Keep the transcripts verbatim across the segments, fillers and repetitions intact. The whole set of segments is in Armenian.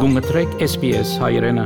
Գումտրեք S B S հայրենը։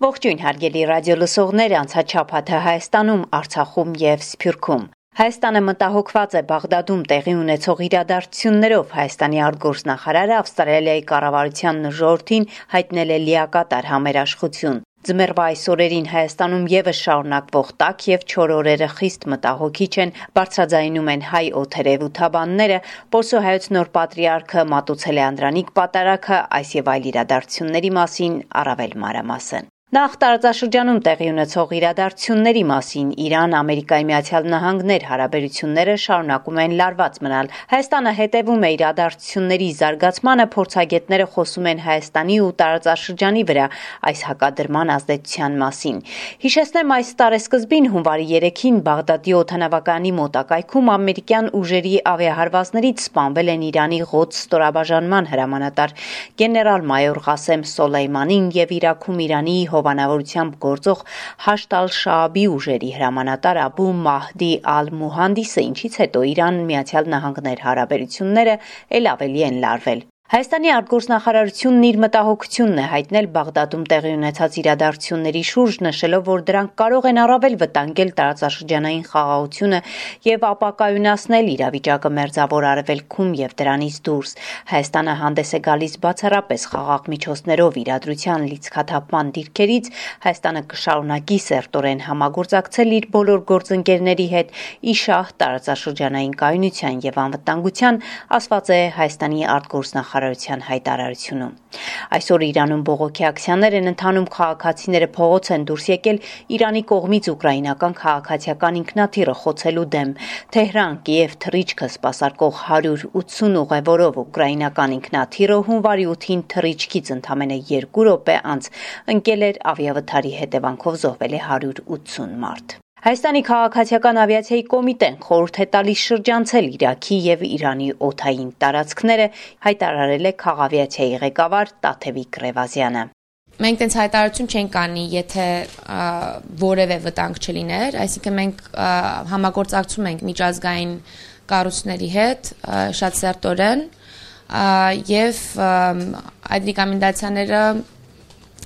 Ողջույն հարգելի ռադիո լսողներ, անցած շաբաթը Հայաստանում, Արցախում եւ Սփյուռքում։ Հայաստանը մտահոգված է Բաղդադում տեղի ունեցող իրադարձություններով։ Հայաստանի արտգործնախարարը Ավստրալիայի կառավարության ժողովրդին հայտնել է լիակատար համերաշխություն։ Ձմեռվա այս օրերին Հայաստանում եւս շարունակվող տաք եւ չոր օրերը խիստ մտահոգիչ են, բարձրաձայնում են հայ օդերևութաբանները, Պոլսո հայոց նոր պատրիարքը մատուցել է անդրանիկ պատարագը, այս եւ այլ իրադարձությունների մասին առավել մանրամասն։ Նախ տարածաշրջանում տեղի ունեցող իրադարձությունների մասին Իրան, Ամերիկայի Միացյալ Նահանգներ հարաբերությունները շարունակում են լարված մնալ։ Հայաստանը հետևում է իրադարձությունների զարգացմանը, փորձագետները խոսում են Հայաստանի ու տարածաշրջանի վրա այս հակադրման ազդեցության մասին։ Հիշեցնեմ, այս տարեսկզբին հունվարի երեքին Բաղդադի օդանավակայանի մոտակայքում ամերիկյան ուժերի ավիահարվածներից սպանվել են Իրանի Ղոդս ստորաբաժանման հրամանատար գեներալ-մայոր Ղասեմ Սոլեյմանին եւ Իրաքում Իրանի հովանավորությամբ գործող Հաշդ ալ-Շաաբի ուժերի հրամանատար Աբու Մահդի ալ-Մուհանդիսը, ինչից հետո Իրան-Միացյալ Նահանգներ հարաբերությունները ել ավելի են լարվել։ Հայաստանի արտգործնախարարությունն իր մտահոգությունն է հայտնել Բաղդադում տեղի ունեցած իրադարձությունների շուրջ, նշելով, որ դրանք կարող են առավել վտանգել տարածաշրջանային խաղաղությունը եւ ապակայունացնել իրավիճակը Մերձավոր Արևելքում եւ դրանից դուրս։ Հայաստանը հանդես է գալիս բացառապես խաղաղ միջոցներով իրադրության լիցքաթափման դիրքերից, Հայաստանը կշարունակի սերտորեն համագործակցել իր բոլոր գործընկերների հետ ի շահ տարածաշրջանային կայունության եւ անվտանգության, ասված է Հայաստանի արտգործնախարարության հայտարարությունում։ Այսօր Իրանում բողոքի ակցիաներ են ընթանում, քաղաքացիները փողոց են դուրս եկել Իրանի կողմից ուկրաինական քաղաքացիական ինքնաթիռը խոցելու դեմ։ Թեհրան, Կիև թռիչքը սպասարկող հարյուր ութսուն ուղևորով ուկրաինական ինքնաթիռը հունվարի ութին թռիչքից ընդամենը երկու րոպե անց ընկել էր ավիավթարի հետևանքով զոհվել է հարյուր ութսուն մարդ։ Հայաստանի քաղաքացիական ավիացիայի կոմիտեն խորհուրդ է տալիս շրջանցել Իրաքի եւ Իրանի օդային տարածքները, հայտարարել է քաղավիացիայի ղեկավար Տաթևիկ Ռևազյանը։ Մենք տենց հայտարարություն չենք անի, եթե որևէ վտանգ չլիներ, այսինքն մենք համագործակցում ենք միջազգային կառույցների հետ շատ սերտորեն եւ այդ ռեկոմենդացիաները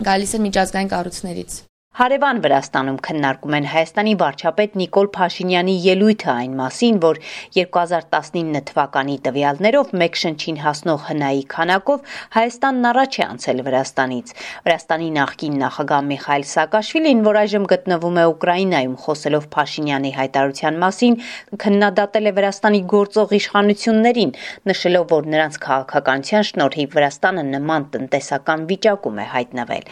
գալիս են միջազգային կառույցներից։ Հարևան Վրաստանում քննարկում են Հայաստանի վարչապետ Նիկոլ Փաշինյանի ելույթը այն մասին, որ երկու հազար տասնինը թվականի տվյալներով մեկ շնչին հասնող հնայի քանակով Հայաստանն առաջ է անցել Վրաստանից։ Վրաստանի նախկին նախագահ Միխայիլ Սաակաշվիլին, որ այժմ գտնվում է Ուկրաինայում, խոսելով Փաշինյանի հայտարարության մասին, քննադատել է Վրաստանի գործող իշխանություններին, նշելով, որ նրանց քաղաքականության շնորհիվ Վրաստանը նման տնտեսական վիճակում է հայտնվել։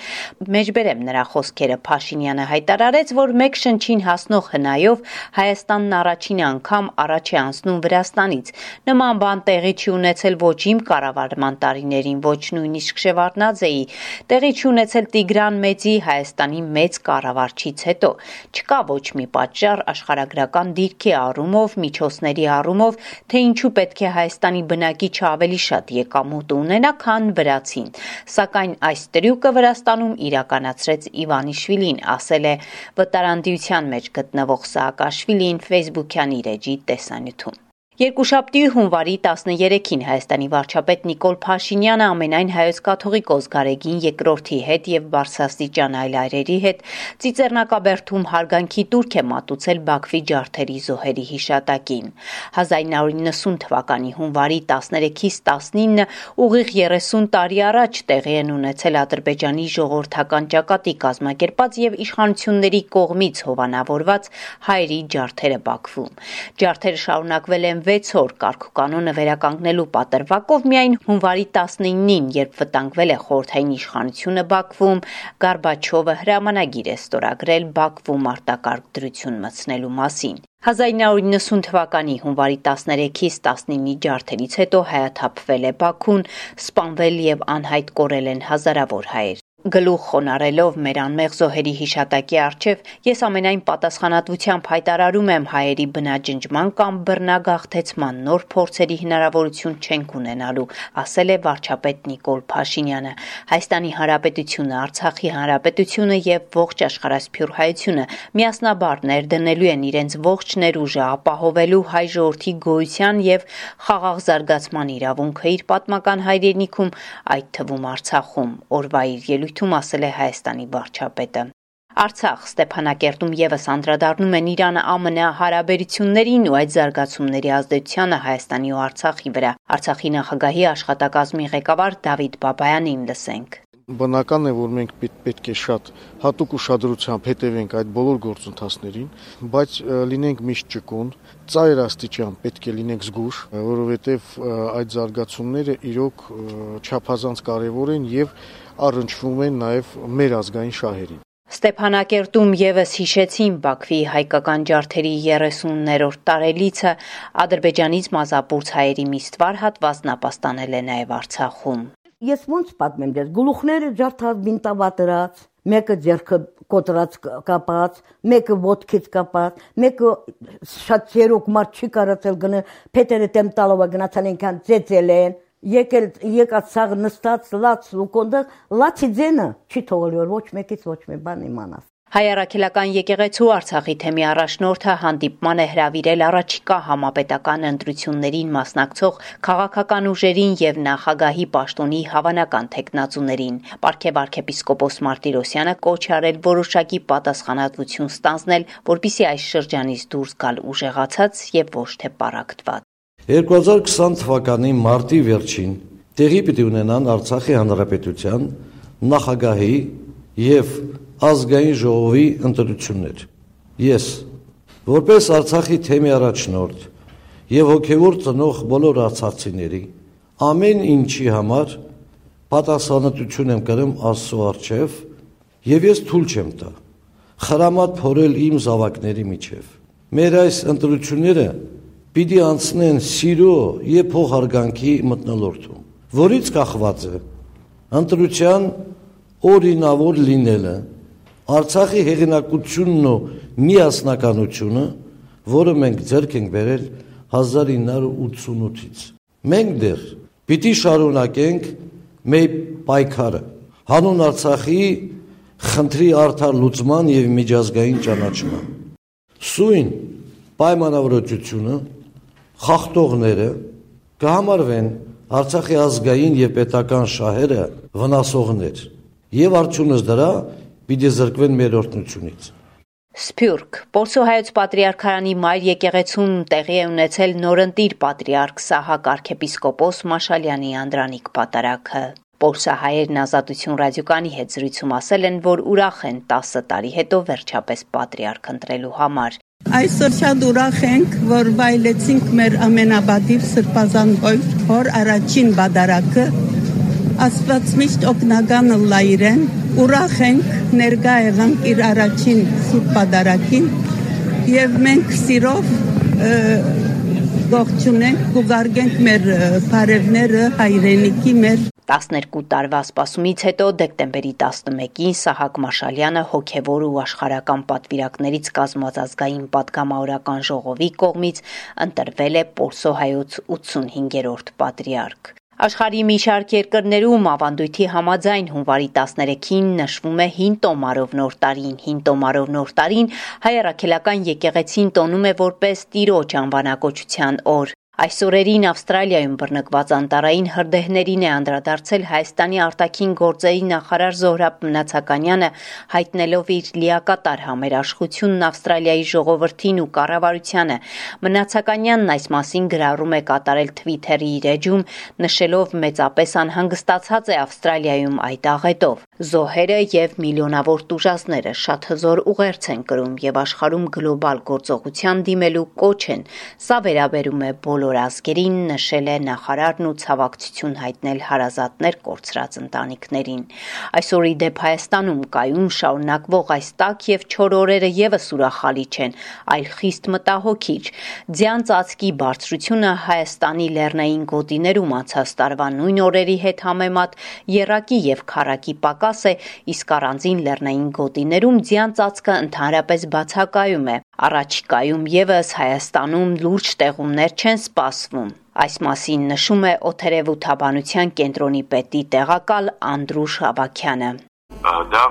Մեջբերեմ նրա խոսքերը, Փաշինյանը հայտարարեց, որ մեկ շնչին հասնող հնայով Հայաստանն առաջին անգամ առաջ է անցնում Վրաստանից։ Նման բան տեղի չի ունեցել ոչ իմ կառավարման տարիներին, ոչ նույնիսկ Շևարդնաձեի, տեղի չի ունեցել Տիգրան Մեծի Հայաստանի մեծ կառավարչից հետո։ Չկա ոչ մի պատճառ աշխարհագրական դիրքի առումով, միջոցների առումով, թե ինչու պետք է Հայաստանի բնակիչը ավելի շատ եկամուտ ունենա, քան վրացին։ Սակայն այս տրյուկը Վրաստանում իրականացրեց Իվանիշվիլին, ասել է վտարանդիության մեջ գտնվող Սաակաշվիլին Facebook-յան իր էջի տեսանյութում։ Երկուշաբթի հունվարի տասներեքին Հայաստանի վարչապետ Նիկոլ Փաշինյանը ամենայն հայոց կաթողիկոս Գարեգին երկրորդի հետ եւ բարձրաստիճան այլ այրերի հետ Ծիծեռնակաբերդում հարգանքի տուրք է մատուցել Բաքվի ջարդերի զոհերի հիշատակին։ հազար նույն հարյուր նվսուն թվականի հունվարի տասներեքից տասնինը ուղիղ երեսուն տարի առաջ տեղի են ունեցել Ադրբեջանի ժողովրդական ճակատի կազմակերպած եւ իշխանությունների կողմից հովանավորված հայերի ջարդերը Բաքվում։ Ջարդերը շարունակվել են վեց օր կարգուկանոնը վերականգնելու պատրվակով միայն հունվարի տասնինին, երբ վտանգվել է խորհրդային իշխանությունը Բաքվում, Գորբաչովը հրամանագիր է ստորագրել Բաքվում արտակարգ դրություն մտցնելու մասին։ հազար նույն հարյուր նվսուն թվականի հունվարի տասներեքից տասնինի ջարդերից հետո հայաթափվել է Բաքուն, սպանվել եւ անհայտ կորել են հազարավոր հայեր։ Գլուխ խոնարելով մեր անմեղ զոհերի հիշատակի առջև ես ամենայն պատասխանատվությամբ հայտարարում եմ հայերի բնաջնջման կամ բռնագաղթեցման նոր փորձերի հնարավորություն չենք ունենալու, ասել է վարչապետ Նիկոլ Փաշինյանը։ Հայաստանի Հանրապետությունը, Արցախի Հանրապետությունը եւ ողջ աշխարհասփյուր հայությունը միասնաբար ներդնելու են իրենց ողջ ներուժը ապահովելու հայ ժողովրդի գոյության եւ խաղաղ զարգացման իրավունքը իր պատմական հայրենիքում, այդ թվում Արցախում, օրվա իր ելույթում ասել է Հայաստանի վարչապետը։ Արցախ, Ստեփանակերտում եւս անդրադառնում են Իրանը ԱՄՆ հարաբերություններին ու այդ զարգացումների ազդեցությանը Հայաստանի ու Արցախի վրա։ Արցախի նախագահի աշխատակազմի ղեկավար Դավիթ Բաբայանին լսենք։ Բնական է, որ մենք պետք է շատ հատուկ ուշադրությամբ հետևենք այդ բոլոր գործընթացներին, բայց լինենք միշտ ճկուն, ծայր աստիճան պետք է լինենք զգույշ, որովհետև այդ զարգացումները իրոք չափազանց կարևոր են եւ առնչվում են նաեւ մեր ազգային շահերին։ Ստեփանակերտում եւս հիշեցին Բաքվի հայկական ջարդերի երեսուններորդ տարելիցը, Ադրբեջանից մազապուրց հայերի մի ստվար հատված նապաստանել է նաեւ Արցախում։ Ես ոնց պատմեմ դες գլուխները ջարդած բինտավատրած, մեկը ձեռքը կոտրած կապած, մեկը ոտքից կապած, մեկը շատ ցերոք մարդ չի կարացել գնա, փետերը տեմ տալով գնացան ինքան ծեծել են, եկել եկած սաղ նստած լաց լուկոնդը, լացի ձենը չի թողել որ ոչ մեկից ոչ մի բան իմանաս։ Հայ առաքելական եկեղեցու Արցախի թեմի առաջնորդը հանդիպման է հրավիրել առաջիկա համապետական ընտրություններին մասնակցող քաղաքական ուժերին եւ նախագահի պաշտոնի հավանական թեկնածուներին։ Պարքև arczepiskopos Martirosyan-ը կոչ արել որոշակի պատասխանատվություն ստանձնել, որպիսի այս շրջանից դուրս գալ ուժեղացած եւ ոչ թե պառակտված։ երկու հազար քսան թվականի մարտի վերջին տեղի պիտի ունենան Արցախի Հանրապետության նախագահի եւ ազգային ժողովի ընտրություններ։ Ես, որպես Արցախի թեմի առաջնորդ եւ հոգեվոր ծնող բոլոր արցախցիների, ամեն ինչի համար պատասխանատվություն եմ կրում Աստծո առջև եւ ես թույլ չեմ տա խրամատ փորել իմ զավակների միջև։ Մեր այս ընտրությունները պիտի անցնեն սիրո եւ փոխհարգանքի մթնոլորտում, որից կախված է ընտրության օրինավոր լինելը, Արցախի հեղինակությունն ու միասնականությունը, որը մենք ձեռք ենք բերել հազար ինը հարյուր ութսունութից։ Մենք դեռ պիտի շարունակենք մեր պայքարը հանուն Արցախի խնդրի արդար լուծման եւ միջազգային ճանաչման։ Սույն պայմանավորվածությունը խախտողները կհամարվեն Արցախի ազգային եւ պետական շահերը վնասողներ եւ արդյունս դրա պիտի զրկվեն մեր օրհնությունից։ Սփյուռք Պոլսոհայոց Պատրիարքարանի մայր եկեղեցում տեղի է ունեցել նորընտիր պատրիարք Սահակ arczepiskopos Մաշալյանի անդրանիկ պատարագը։ Պոլսահայերն Ազատություն ռադիոկայանի հետ զրույցում ասել են, որ ուրախ են տասը տարի հետո վերջապես պատրիարք ընտրելու համար։ Այսօր շատ ուրախ ենք, որ վայելեցինք մեր ամենաբադիր սրբազան հոր առաջին բադարակը, Աստված միշտ օգնական ըլլա իրեն, ուրախ ենք ներկա եղանք իր առաջին սուրբ բադարակին եւ մենք սիրով ողջունենք, կուղարկենք մեր բարևները հայրենիքի մեր տասներկու տարվա սպասումից հետո դեկտեմբերի տասնմեկին Սահակ Մաշալյանը հոգևոր ու աշխարհական պատվիրակներից կազմված ազգային պատգամավորական ժողովի կողմից ընտրվել է Պոլսոհայոց ութսունհինգերորդ պատրիարք։ Աշխարհի մի շարք երկրներում ավանդույթի համաձայն հունվարի տասներեքին նշվում է հին տոմարով նոր տարին։ Հին տոմարով նոր տարին հայ առաքելական եկեղեցին տոնում է որպես Տիրոջ անվանակոչության օր։ Այս օրերին Ավստրալիայում բռնկված անտառային հրդեհներին է անդրադարձել Հայաստանի արտաքին գործերի նախարար Զոհրաբ Մնացականյանը, հայտնելով իր լիակատար համերաշխությունն Ավստրալիայի ժողովրդին ու կառավարությանը։ Մնացականյանն այս մասին գրառում է կատարել Twitter-ի իր էջում, նշելով մեծապես անհանգստացած է Ավստրալիայում այդ աղետով։ Զոհերը եւ միլիոնավոր տուժածները շատ հզոր ուղերձ են կրում եւ աշխարհում գլոբալ գործողության դիմելու կոչ են։ Սա վերաբերում է բոլոր բոլոր ազգերին, նշել է նախարարն ու ցավակցություն հայտնել հարազատներ կորցրած ընտանիքներին։ Այսօր ի դեպ Հայաստանում կայուն շարունակվող այս տաք եւ չոր օրերը եւս ուրախալի չեն, այլ խիստ մտահոգիչ։ Ձյան ծածկի բարձրությունը Հայաստանի լեռնային գոտիներում անցած տարվա նույն օրերի հետ համեմատ եռակի եւ քառակի պակաս է, իսկ առանձին լեռնային գոտիներում ձյան ծածկը ընդհանրապես բացակայում է։ Առաջիկայում եւս Հայաստանում լուրջ տեղումներ չեն սպասվում։ Այս մասին նշում է օդերևութաբանության կենտրոնի պետի տեղակալ Անդրուշ Ավագյանը։ Դա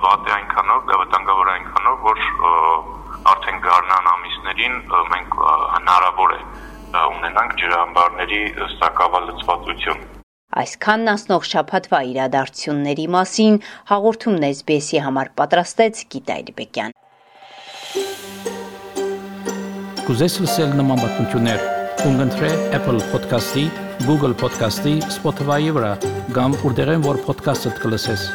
վատ է այնքանով, դա վտանգավոր է այնքանով, որ արդեն գարնան ամիսներին մենք հնարավոր է ունենանք ջրամբարների սակավալցվածություն։ Այսքանն անցնող շաբաթվա իրադարձությունների մասին հաղորդումն էս բի էսի համար պատրաստեց Գիտա Իրբեկյան։ Կուզես լսել նման բանություններ, կընտրե Apple Podcast-ի, Google Podcast-ի, Spotify-ի վրա, կամ որտեղեն որ podcast-ը կլսես։